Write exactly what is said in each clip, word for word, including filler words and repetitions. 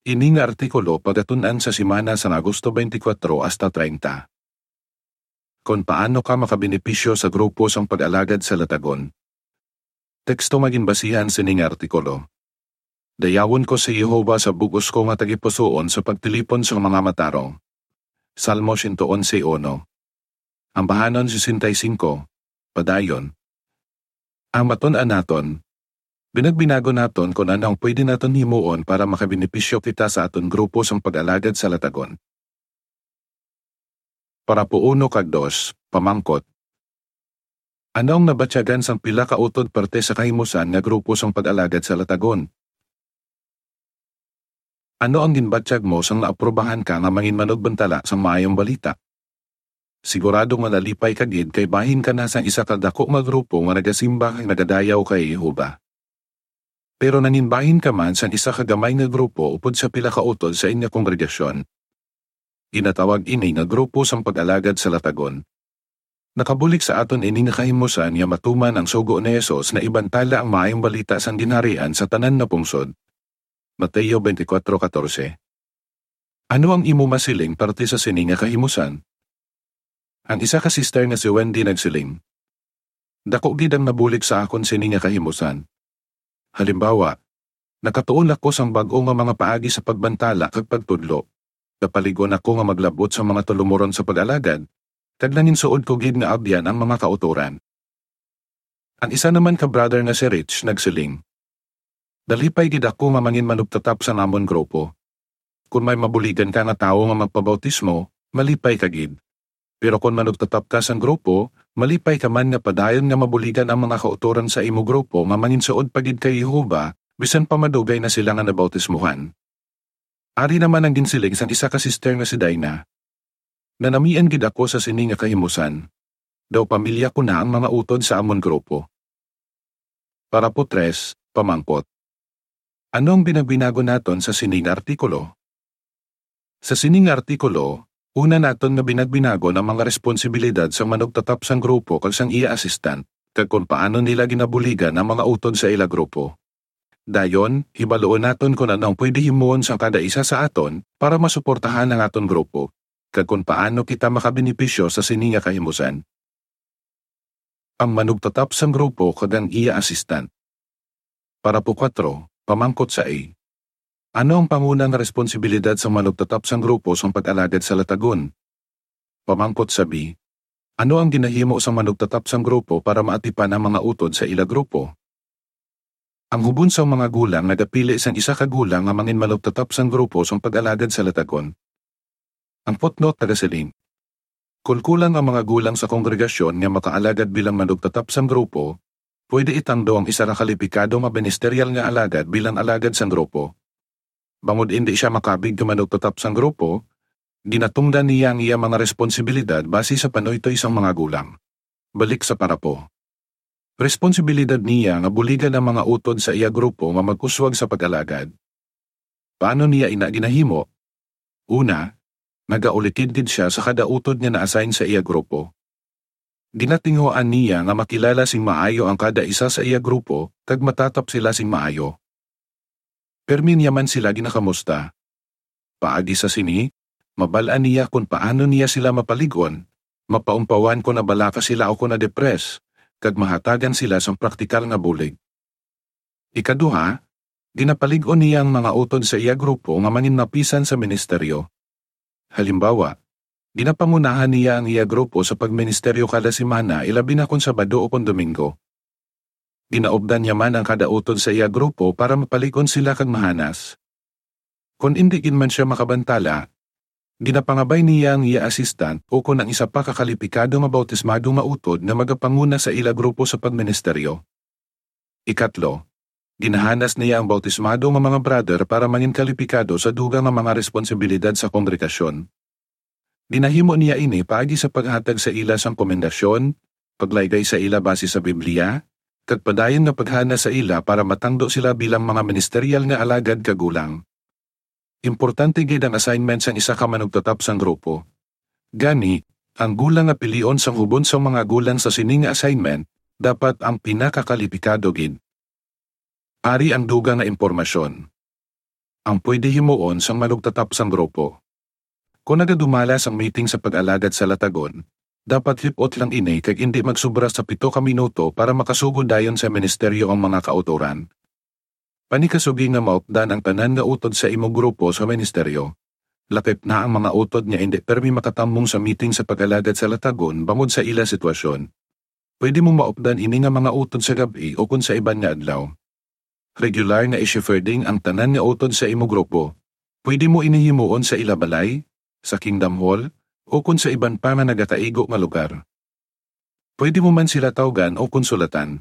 Ini nga artikulo pagatun-an sa semana sang Agosto twenty-four hasta treinta. Kon paano ka makabenepisyo sa grupo sang pag-alagad sa Latagon. Teksto nga ginbasihan sini nga artikulo. Dayawon ko si Jehovah sa bug-os ko nga tagipusoon sa pagtilipon sang mga matarong. Salmo siyento onse uno. Ambahanon sesenta y cinco, padayon. Ang matun-an naton, binagbinagon naton kon ano ang pwede naton himuon para makabenepisyo kita sa aton grupo sang pag-alagad sa Latagon. Parapo uno kag dos, pamangkot. Ano ang nabatyagan sang pila ka utod parte sa kahimusan nga grupo sang pag-alagad sa Latagon? Ano ang ginbatyag mo sang naaprubahan ka nga manginmanugbantala sang Maayong Balita? Sigurado nga nalipay ka gid kay bahin ka na sang isa ka dako nga grupo nga nagasimba kag nagadayaw kay Jehovah. Pero nanginbahin ka man sang isa ka gamay nga grupo upod sa pila ka utod sa inyo kongregasyon. Ginatawag ini nga grupo sang pag-alagad sa Latagon. Nakabulig sa aton ini nga kahimusan nga matuman ang sugo ni Jesus nga ibantala ang Maayong Balita sang Ginharian sa tanan nga pungsod. Mateo twenty-four catorce. Ano ang imo masiling parte sa sini nga kahimusan? Ang isa ka sister nga si Wendy nagsiling, "Dako gid ang nabulig sa akon sini nga kahimusan. Halimbawa, nakatuon ako sang bag-o nga mga paagi sa pagbantala kag pagtudlo. Napalig-on ako nga maglab-ot sa mga talumuron sa pag-alagad, kag nanginsuod ko gid nga abyan ang mga kautoran." Ang isa naman ka brother nga si Rich nagsiling, "Nalipay gid ako nga manginmanugtatap sa amon grupo. Kon may mabuligan ka nga tawo nga magpabautismo, malipay ka gid. Pero kon manugtatap ka sang grupo, malipay ka man nga padayon nga mabuligan ang mga kautoran sa imo grupo nga manginsuod pa gid kay Jehovah, bisan pa madugay na sila nga nabautismuhan." Ari naman ang ginsiling sang isa ka sister nga si Dina, "Nanamian gid ako sa sini nga kahimusan. Daw pamilya ko na ang mga utod sa amon grupo." Parapo tres, pamangkot. Ano ang binagbinagon naton sa sini nga artikulo? Sa sini nga artikulo, una naton nga binagbinagon ang mga responsibilidad sang manugtatap sang grupo kag sang iya assistant, kag kon paano nila ginabuligan ang mga utod sa ila grupo. Dayon, hibaluon naton kon ano ang pwede himuon sang kada isa sa aton para masuportahan ang aton grupo, kag kon paano kita makabenepisyo sa sini nga kahimusan. Ang manugtatap sang grupo kag ang iya assistant. Parapo kuwatro, pamangkot sa A. Ano ang pangunang responsibilidad sang manugtatap sang grupo sang pag-alagad sa Latagon? Pamangkot sa B. Ano ang ginahimo sang manugtatap sang grupo para maatipan ang mga utod sa ila grupo? Ang hubon sang mga gulang nagapili sang isa ka gulang nga manginmanugtatap sang grupo sang pag-alagad sa Latagon. Ang footnote nagasiling, "Kon kulang ang mga gulang sa kongregasyon nga makaalagad bilang manugtatap sang grupo, pwede itangdo ang isa ka kalipikado nga ministeryal nga alagad bilang alagad sang grupo. Bangod indi sia makabig nga manugtatap sang grupo, ginatungdan niya ang iya mga responsibilidad basi sa panuytoy sang mga gulang." Balik sa parapo. Responsibilidad niya nga buligan ang mga utod sa iya grupo nga mag-uswag sa pag-alagad. Paano niya ina ginahimo? Una, nagaulikid gid sia sa kada utod nga na-assign sa iya grupo. Ginatinguhaan niya nga makilala sing maayo ang kada isa sa iya grupo kag matatap sila sing maayo. Pirmi niya man sila ginakamusta. Paagi sa sini, mabal-an niya kon paano niya sila mapalig-on, mapaumpawan kon nabalaka sila o kon na-depress, kag mahatagan sila sang praktikal nga bulig. Ikaduha, ginapalig-on niya ang mga utod sa iya grupo nga manginmapisan sa ministeryo. Halimbawa, ginapangunahan niya ang iya grupo sa pagministeryo kada semana, ilabi na kon Sabado o kon Domingo. Ginaupdan niya man ang kada utod sa iya grupo para mapalig-on sila kag mahanas. Kon indi gid man sia makabantala, ginapangabay niya ang iya assistant o kon ang isa pa ka kalipikado nga bautismado nga utod nga magapanguna sa ila grupo sa pagministeryo. Ikatlo, ginahanas niya ang bautismado nga mga brother para mangin kalipikado sa dugang nga mga responsibilidad sa kongregasyon. Ginahimo niya ini paagi sa paghatag sa ila sang komendasyon, paglaygay sa ila basi sa Biblia, kag padayon nga paghanas sa ila para matangdo sila bilang mga ministeryal nga alagad kag gulang. Importante gid ang assignment sang isa ka manugtatap sang grupo. Gani, ang gulang nga pilion sang hubon sang mga gulang sa sini nga assignment dapat ang pinakakalipikado gid. Ari ang dugang nga impormasyon. Ang pwede himuon sang manugtatap sang grupo. Kon nagadumala sang meeting sa pag-alagad sa latagon, dapat lip-ot lang ini kag indi magsubra sa pito ka minuto para makasugod dayon sa ministeryo ang mga kautoran. Panikasugi nga maupdan ang tanan nga utod sa imo grupo sa ministeryo. Lakip na ang mga utod nga indi permi makatamong sa meeting sa pag-alagad sa latagon bangod sa ila sitwasyon. Pwede mo maupdan ini nga mga utod sa gab-i o kon sa iban nga adlaw. Regular nga i-shepherding ang tanan nga utod sa imo grupo. Pwede mo ini himuon sa ila balay, sa Kingdom Hall, o kon sa iban pa nga nagakaigo nga lugar. Pwede mo man sila tawgan o konsulatan.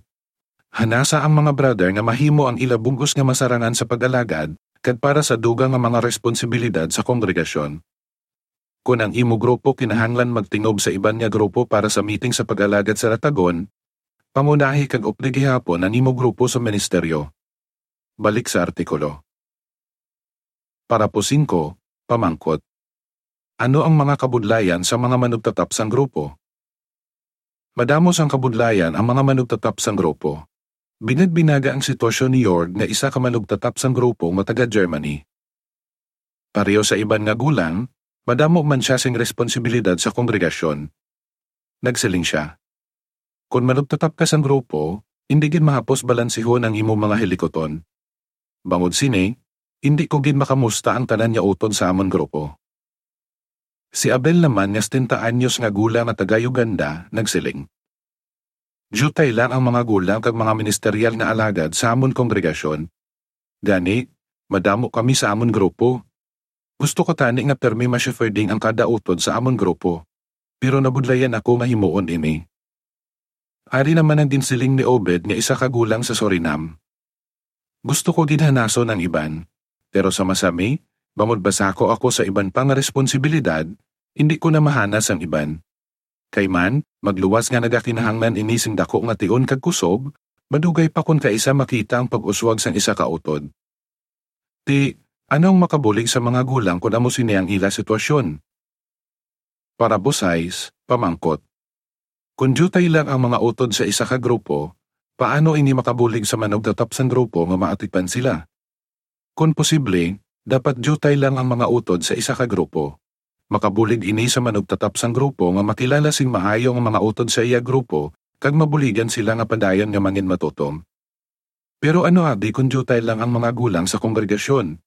Hanasa ang mga brother nga mahimo ang ila bug-os nga masarangan sa pag-alagad kag para sa dugang nga mga responsibilidad sa kongregasyon. Kon ang imo grupo kinahanglan magtingob sa iban nga grupo para sa meeting sa pag-alagad sa latagon, pangunahi kag updi gihapon ang imo grupo sa ministeryo. Balik sa artikulo. Parapo singko, pamangkot. Ano ang mga kabudlayan sa mga manugtatap sang grupo? Madamo sang kabudlayan ang mga manugtatap sang grupo. Binagbinaga ang sitwasyon ni Jörg nga isa ka manugtatap sang grupo nga taga Germany. Pareho sa iban nga gulang, madamo man sia sing responsibilidad sa kongregasyon. Nagsiling sia, "Kon manugtatap ka sang grupo, indi gid mahapos balansihon ang imo mga hilikuton. Bangod sini, indi ko gid makamusta ang tanan nga utod sa amon grupo." Si Abel naman nga setenta anyos nga gulang nga taga Uganda nagsiling, "Diutay lang ang mga gulang kag mga ministeryal nga alagad sa amon kongregasyon. Gani, madamo kami sa amon grupo. Gusto ko tani nga pirmi ma-shepherding ang kada utod sa amon grupo, pero nabudlayan ako nga himuon ini." Ari naman ang ginsiling ni Obed nga isa ka gulang sa Surinam, "Gusto ko gid hanason ang iban, pero sa masami, bangod basako ako sa iban pa nga responsibilidad, indi ko na mahanas ang iban. Kay man, magluwas nga nagakinahanglan ini sing daku nga tion kag kusog, madugay pa kon kaisa makita ang pag-uswag sang isa ka utod." Ti, ano ang makabulig sa mga gulang kon amo sini ang ila sitwasyon? Parapo sais, pamangkot. Kon diutay lang ang mga utod sa isa ka grupo, paano ini makabulig sa manugtatap sang grupo nga maatipan sila? Kon posible, dapat diutay lang ang mga utod sa isa ka grupo. Makabulig ini sa manugtatap sang grupo nga makilala sing maayo ang mga utod sa iya grupo kag mabuligan sila nga padayon nga manginmatutom. Pero ano abi kon diutay lang ang mga gulang sa kongregasyon?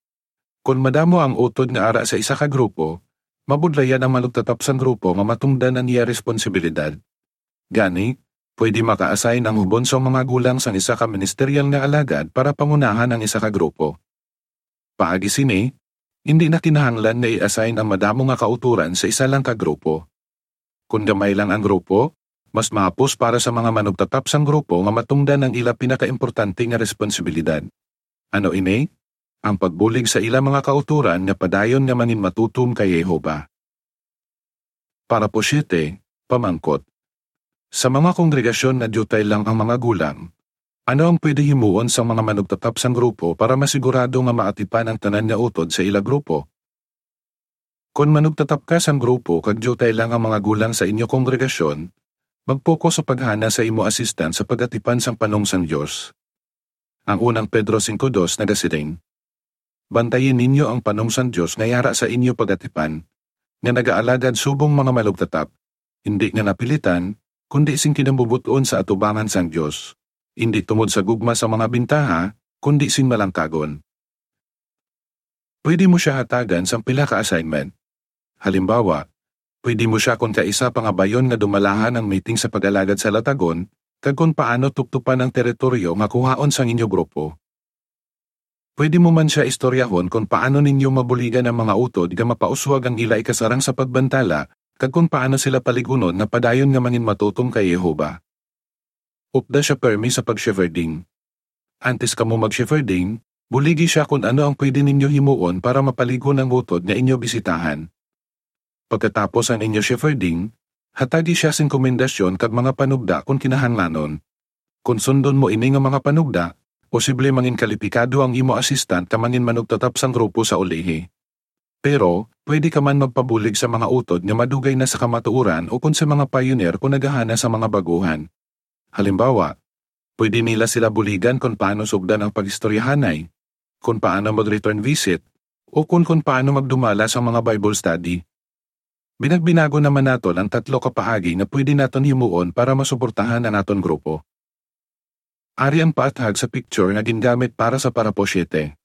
Kon madamo ang utod nga ara sa isa ka grupo, mabudlayan ang manugtatap sang grupo nga matungdan ang iya responsibilidad. Gani, pwede maka-assign ang ubon sang mga gulang sang isa ka ministeryal nga alagad para pangunahan ang isa ka grupo. Paagi sini, indi na kinahanglan nga i-assign ang madamo nga kautoran sa isa lang ka grupo. Kon gamay lang ang grupo, mas mahapos para sa mga manugtatap sang grupo nga matungdan ang ila pinakaimportante nga responsibilidad. Ano ini? Ang pagbulig sa ila mga kautoran nga padayon nga manginmatutom kay Jehovah. Parapo siete, pamangkot. Sa mga kongregasyon nga diutay lang ang mga gulang, ano ang pwede himuon sang mga manugtatap sang grupo para masigurado nga maatipan ang tanan nga utod sa ila grupo? Kon manugtatap ka sang grupo kag diutay lang ang mga gulang sa inyo kongregasyon, mag-focus sa paghana sa imo assistant sa pag-atipan sang panong sang Dios. Ang unang Pedro singko dos nagasiling, "Bantayi ninyo ang panong sang Dios nga yara sa inyo pag-atipan, nga nagaalagad subong mga malugtatap, indi nga napilitan, kundi sing kinamubut-on sa atubangan sang Dios, indi tungod sa gugma sa mga bintaha, kundi sing malangkagon." Pwede mo sia hatagan sang pila ka assignment. Halimbawa, pwede mo sia kon kaisa pangabayon nga dumalahan ang meeting sa pag-alagad sa latagon, kag kon paano tuptupan ang teritoryo nga kuhaon sang inyo grupo. Pwede mo man sia istoryahon kon paano ninyo mabuligan ang mga utod nga mapauswag ang ila ikasarang sa pagbantala, kag kon paano sila paligunon nga padayon nga manginmatutom kay Jehovah. Upda sia permi sa pag-shepherding. Antes kamo mag-shepherding, buligi sia kon ano ang pwede ninyo himuon para mapalig-on ang utod nga inyo bisitahan. Pagkatapos ang inyo shepherding, hatagi sia sing komendasyon kag mga panugda kon kinahanglanon. Kon sundon mo ini nga mga panugda, posible manginkalipikado ang imo assistant ka manginmanugtatap sang grupo sa ulihi. Pero, pwede ka man magpabulig sa mga utod nga madugay na sa kamatuoran ukon sa mga pioneer kon nagahana sa mga baguhan. Halimbawa, pwede nila sila buligan kon paano sugdan ang pag-istoryahanay, kon paano mag-return visit, o kon, kon paano magdumala sa mga Bible study. Binagbinago naman naton ang tatlo ka paagi nga pwede naton himuon para masuportahan ang aton grupo. Ari ang paathag sa picture nga gingamit para sa parapo siete.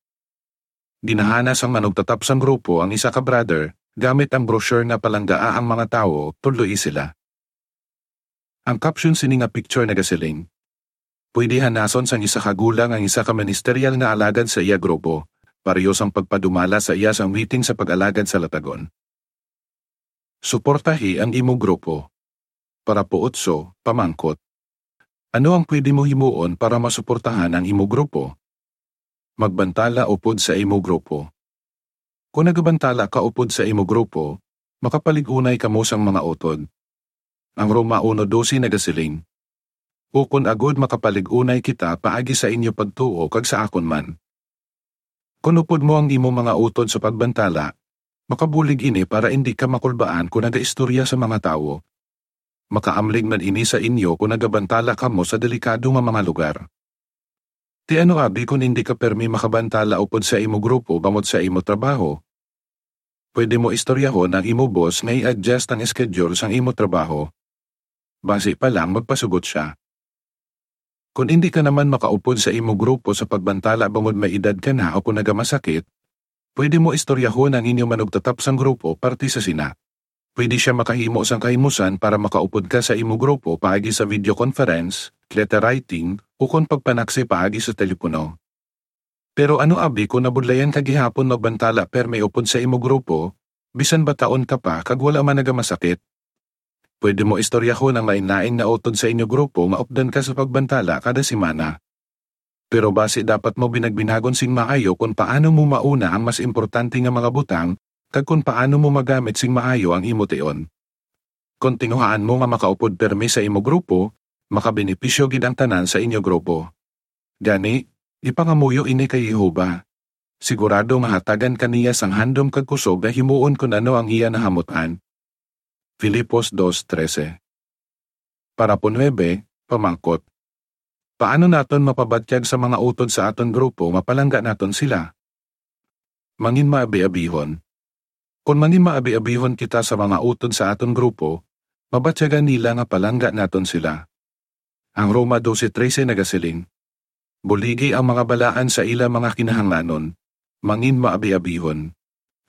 Ginahanas ang manugtatap sang grupo ang isa ka brother gamit ang brochure nga Palanggaa ang Mga Tawo, Tudloi Sila. Ang caption sini nga picture nagasiling, "Pwede hanason sang isa ka gulang ang isa ka ministerial nga alagad sa iya grupo, pareho sang pagpadumala sa iya sang meeting sa pag-alagad sa latagon." Suportahi ang imo grupo. Parapo otso, pamangkot, ano ang pwede mo himuon para masuportahan ang imo grupo? Magbantala upod sa imo grupo. Kon nagabantala ka upod sa imo grupo, makapalig-unay kamo sang mga utod. Ang Roma uno doce nagasiling, "Ukon agud makapalig-unay kita paagi sa inyo pagtuo kag sa akon man." Kon upod mo ang imo mga utod sa pagbantala, makabulig ini para indi ka makulbaan kon nagaistorya sa mga tawo. Makaamlig man ini sa inyo kon nagabantala kamo sa delikado nga mga lugar. Ti ano abi kon indi ka permi makabantala upod sa imo grupo bangod sa imo trabaho? Pwede mo istoryahon ang imo boss nga i-adjust ang schedule sang imo trabaho. Basi pa lang magpasugot sia. Kon indi ka naman makaupod sa imo grupo sa pagbantala bangod may edad ka na o kon nagamasakit, pwede mo istoryahon ang inyo manugtatap sang grupo parte sa sina. Pwede sia makahimo sang kahimusan para makaupod ka sa imo grupo paagi sa video conference, letter writing, ukon pagpanaksi paagi sa telepono. Pero ano abi kon nabudlayan ka gihapon magbantala permi upod sa imo grupo, bisan bataon ka pa kag wala man nagamasakit? Pwede mo istoryahon ang lain-lain nga utod sa inyo grupo nga updan ka sa pagbantala kada semana. Pero basi dapat mo binagbinagon sing maayo kon paano mo mauna ang mas importante nga mga butang kag kon paano mo magamit sing maayo ang imo tion. Kon tinguhaan mo nga makaupod pirmi sa imo grupo, makabenepisyo gid ang tanan sa inyo grupo. Gani, ipangamuyo ini kay Jehovah. Sigurado nga hatagan ka niya sang handom kag kusog nga himuon kon ano ang iya nahamut-an. Filipos dos trese. Parapo nuebe, pamangkot, paano naton mapabatyag sa mga utod sa aton grupo nga palangga naton sila? Manginmaabiabihon. Kon manginmaabiabihon kita sa mga utod sa aton grupo, mabatyagan nila nga palangga naton sila. Ang Roma doce trese nagasiling, "Buligi ang mga balaan sa ila mga kinahanglanon, manginmaabiabihon."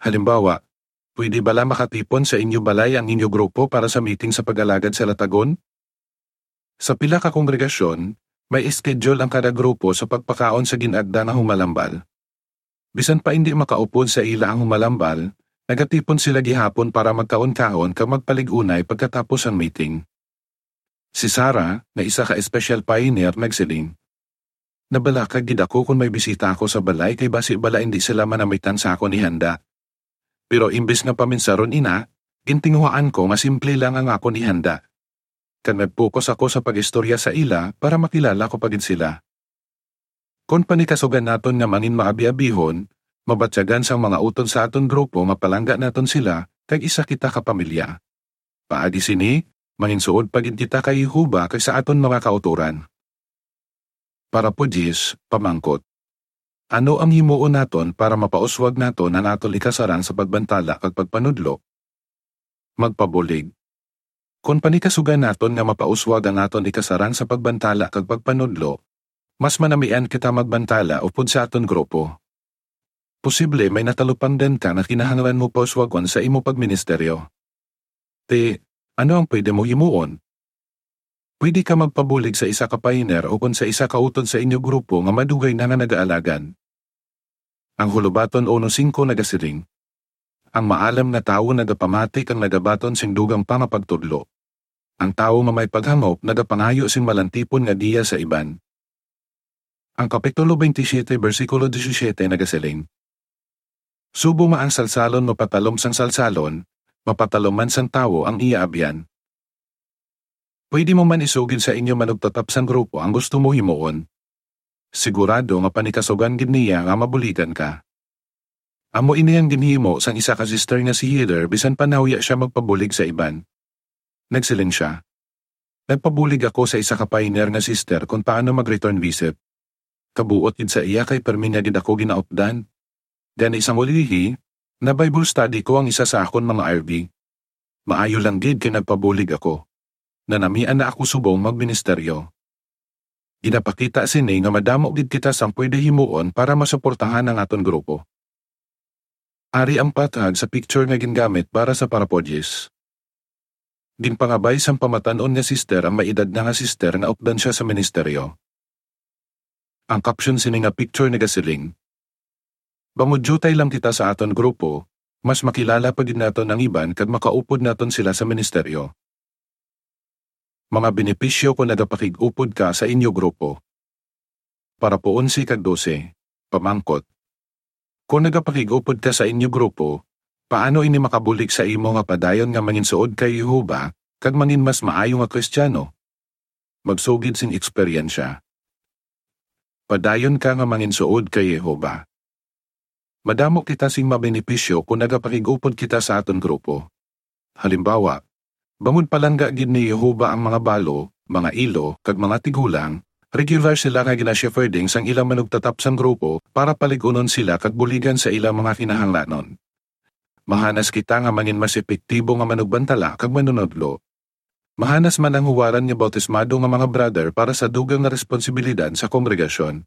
Halimbawa, pwede bala makatipon sa inyo balay ang inyo grupo para sa meeting sa pag-alagad sa latagon? Sa pila ka kongregasyon, may schedule ang kada grupo sa pagpakaon sa gin-agda nga humalambal. Bisan pa indi makaupod sa ila ang humalambal, nagatipon sila gihapon para magkaon-kaon kag magpalig-unay pagkatapos sang meeting. Si Sarah, nga isa ka special pioneer, nagsiling, "Nabalaka gid ako kon may bisita ako sa balay kay basi bala indi sila manamitan sa akon ihanda. Pero imbes nga paminsaron ina, gintinguhaan ko nga simple lang ang akon ihanda. Kag nag-focus ako sa pag-istorya sa ila para makilala ko pa gid sila." Kon panikasugan naton nga manginmaabiabihon, mabatyagan sang mga utod sa aton grupo nga palangga naton sila kag isa kita ka pamilya. Paagi sini, manginsuod pa gid kita kay Jehovah kag sa aton mga kautoran. Parapo diyes, pamangkot, ano ang himuon naton para mapauswag naton ang aton ikasarang sa pagbantala kag pagpanudlo? Magpabulig. Kon panikasugan naton nga mapauswag ang aton ikasarang sa pagbantala kag pagpanudlo, mas manamian kita magbantala upod sa aton grupo. Posible may natalupangdan ka nga kinahanglan mo pauswagon sa imo pagministeryo. Ti, ano ang pwede mo himuon? Pwede ka magpabulig sa isa ka pioneer o kon sa isa ka utod sa inyo grupo nga madugay na nga nagaalagad. Ang Hulobaton uno singko nagasiling, "Ang maalam nga tawo nagapamati kag nagabaton sing dugang pa nga pagtudlo. Ang tawo nga may paghangop nagapangayo sing malantipon nga giya sa iban." Ang Kapitulo twenty-seven, bersikulo disisyete nagasiling, "Subong nga ang salsalon mapatalom sang salsalon, mapatalom man sang tawo ang iya abyan." Pwede mo man isugid sa inyo manugtatap sang grupo ang gusto mo himuon. Sigurado nga panikasugan gid niya nga mabuligan ka. Amo ini ang ginhimo sang isa ka sister nga si Heather bisan pa nahuya sia magpabulig sa iban. Nagsiling sia, "Nagpabulig ako sa isa ka pioneer nga sister kon paano mag-return visit. Kabuot gid sa iya kay permi niya gid ako ginaupdan. Gani sang ulihi, na-Bible study ko ang isa sa akon mga R V. Maayo lang gid kay nagpabulig ako. Nanamian na ako subong magministeryo. Ginapakita sini nga madamo gid kita sang pwede himuon para masuportahan ang aton grupo. Ari ang pathag sa picture nga gingamit para sa parapodis. Ginpangabay sang pamatan-on nga sister ang may edad na nga sister nga updan sia sa ministeryo. Ang caption sini nga picture nagasiling, "Bangod diutay lang kita sa aton grupo, mas makilala pa gid naton ang iban kag makaupod naton sila sa ministeryo." Mga benepisyo kon nagapakig-upod ka sa inyo grupo. Parapo onse kag dose, pamangkot. Kon nagapakig-upod ka sa inyo grupo, paano ini makabulig sa imo nga padayon nga manginsuod kay Jehovah kag mangin mas maayo nga Kristiyano? Magsugid sing eksperyensya. Padayon ka nga manginsuod kay Jehovah. Madamo kita sing mabenepisyo kon nagapakig-upod kita sa aton grupo. Halimbawa, bangod palangga gid ni Jehovah ang mga balo, mga ilo, kag mga tigulang, regular sila nga gina-shepherding sang ilang manugtatap sang grupo para palig-unon sila kag buligan sa ilang mga kinahanglanon. Mahanas kita nga mangin mas epektibo nga manugbantala kag manunodlo. Mahanas man ang huwaran nga bautismado nga mga brother para sa dugang nga responsibilidad sa kongregasyon.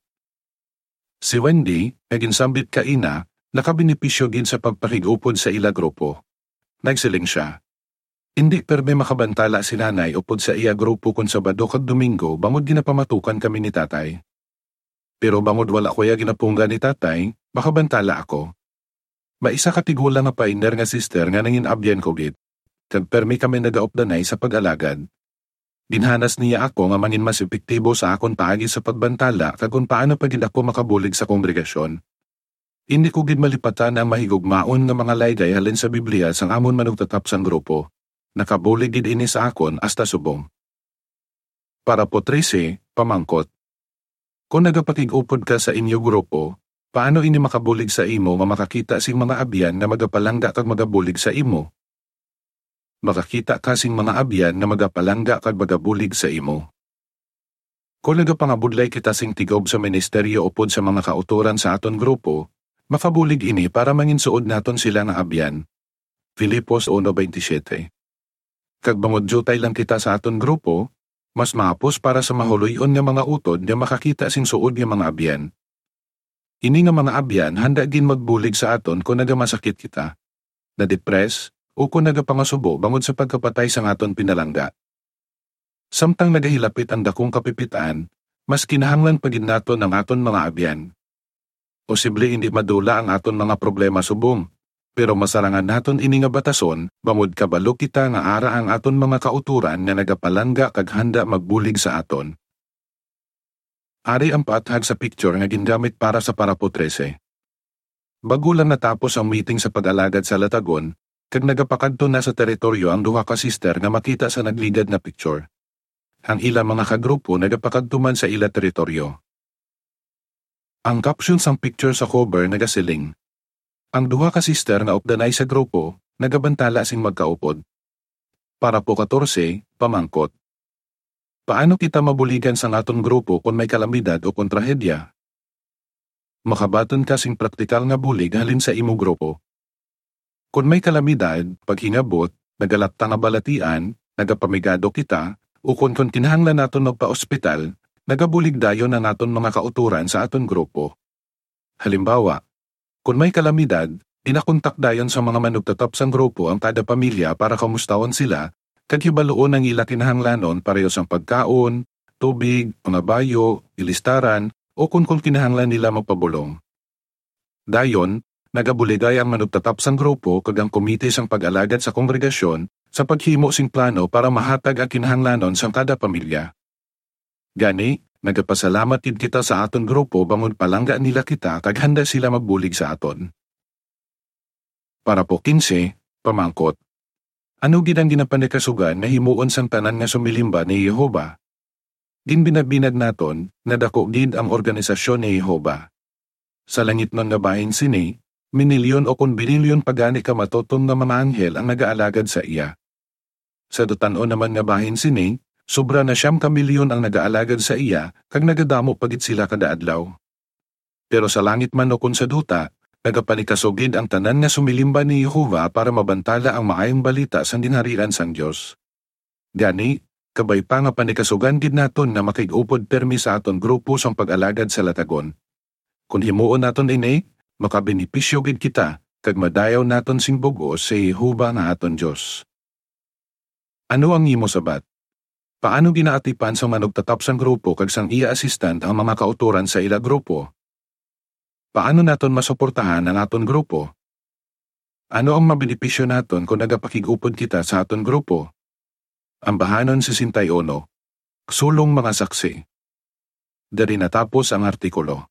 Si Wendy, nga ginsambit kaina, nakabenepisyo gid sa pagpakig-upod sa ila grupo. Nagsiling sia, "Indi permi makabantala si Nanay upod sa iya grupo kon Sabado kag Domingo bangod ginapamatukan kami ni Tatay. Pero bangod wala ko iya ginapunggan ni Tatay, makabantala ako. May isa ka tigulang nga pioneer nga sister nga nangin-abyan ko gid, kag permi kami nagaupdanay sa pag-alagad. Ginhanas niya ako nga mangin mas epektibo sa akon paagi sa pagbantala kag kon paano pa gid ako makabulig sa kongregasyon. Indi ko gid malipatan ang mahigugmaon nga mga laygay halin sa Biblia sang amon manugtatap sang grupo. Nakabulig gid ini sa akon hasta subong." Parapo trese, pamangkot. Kon nagapakig-upod ka sa inyo grupo, paano ini makabulig sa imo nga makakita sing mga abyan nga magapalangga kag magabulig sa imo? Makakita ka sing mga abyan nga magapalangga kag magabulig sa imo. Kon nagapangabudlay kita sing tigub sa ministeryo upod sa mga kautoran sa aton grupo, makabulig ini para manginsuod naton sila nga abyan. Filipos uno veintisiete. Kag bangod diutay lang kita sa aton grupo, mas mahapos para sa mahuloy-on nga mga utod nga makakita sing suod nga mga abyan. Ini nga mga abyan handa gid magbulig sa aton kon nagamasakit kita, nadepres, o kon nagapangasubo bangod sa pagkapatay sang aton pinalangga. Samtang nagahilapit ang dakong kapipit-an, mas kinahanglan pa gid naton ang aton mga abyan. Posible indi madula ang aton mga problema subong, pero masarangan naton ini nga batason, bangod kabalo kita nga ara ang aton mga kautoran nga nagapalangga kag handa magbulig sa aton. Ari ang paathag sa picture nga gingamit para sa parapo trese. Bag-o lang natapos ang meeting sa pag-alagad sa Latagon, kag nagapakadto na sa teritoryo ang duha ka sister nga makita sa nagligad nga picture. Ang ila mga kagrupo nagapakadto man sa ila teritoryo. Ang caption sang picture sa cover nagasiling, "Ang duha ka sister nga updanay sa grupo nagabantala sing magkaupod." Parapo katorse, pamangkot. Paano kita mabuligan sang aton grupo kon may kalamidad o kon trahedya? Makabaton ka sing praktikal nga bulig halin sa imo grupo. Kon may kalamidad, paghingabot, nagalapta nga balatian, nagapamigado kita, ukon kon kinahanglan naton magpa-ospital, nagabulig dayon ang aton mga kautoran sa aton grupo. Halimbawa, kon may kalamidad, ginakontak dayon sa mga manugtatap sang grupo ang kada pamilya para kamustahon sila kag hibaluon ang ila kinahanglanon pareho sang pagkaon, tubig, mga bayo, ilistaran, o kon, kon kinahanglan nila magpabulong. Dayon, nagabuligay ang manugtatap sang grupo kag ang komite sang pag-alagad sa kongregasyon sa paghimo sing plano para mahatag ang kinahanglanon sang kada pamilya. Gani, nagapasalamat gid kita sa aton grupo bangod palangga nila kita kag handa sila magbulig sa aton. Parapo kinse, pamangkot. Ano gid ang ginapanikasugan nga himuon sang tanan nga sumilimba ni Jehovah? Ginbinabinag naton nga daku gid ang organisasyon ni Jehovah. Sa langitnon nga bahin sini, minilyon o kon binilyon pa gani ka matutom nga mga anghel ang nagaalagad sa iya. Sa dutan-on naman nga bahin sini, sobra na siyam ka milyon ang nagaalagad sa iya, kag nagadamo pa gid sila kada adlaw. Pero sa langit man ukon sa duta, nagapanikasugid ang tanan nga sumilimba ni Jehovah para mabantala ang maayong balita sang Ginharian sang Dios. Gani, kabay pa nga panikasugan gid naton nga makig-upod pirmi sa aton grupo sang pag-alagad sa latagon. Kon himuon naton ini, makabenepisyo gid kita, kag madayaw naton sing bug-os si Jehovah nga aton Dios. Ano ang imo sabat? Paano ginaatipan sang manugtatap sang grupo kag sang iya assistant ang mga kautoran sa ila grupo? Paano naton masuportahan ang aton grupo? Ano ang mabenepisyo naton kon nagapakig-upod kita sa aton grupo? Ambahanon sesenta y uno. Sulong mga saksi. Diri natapos ang artikulo.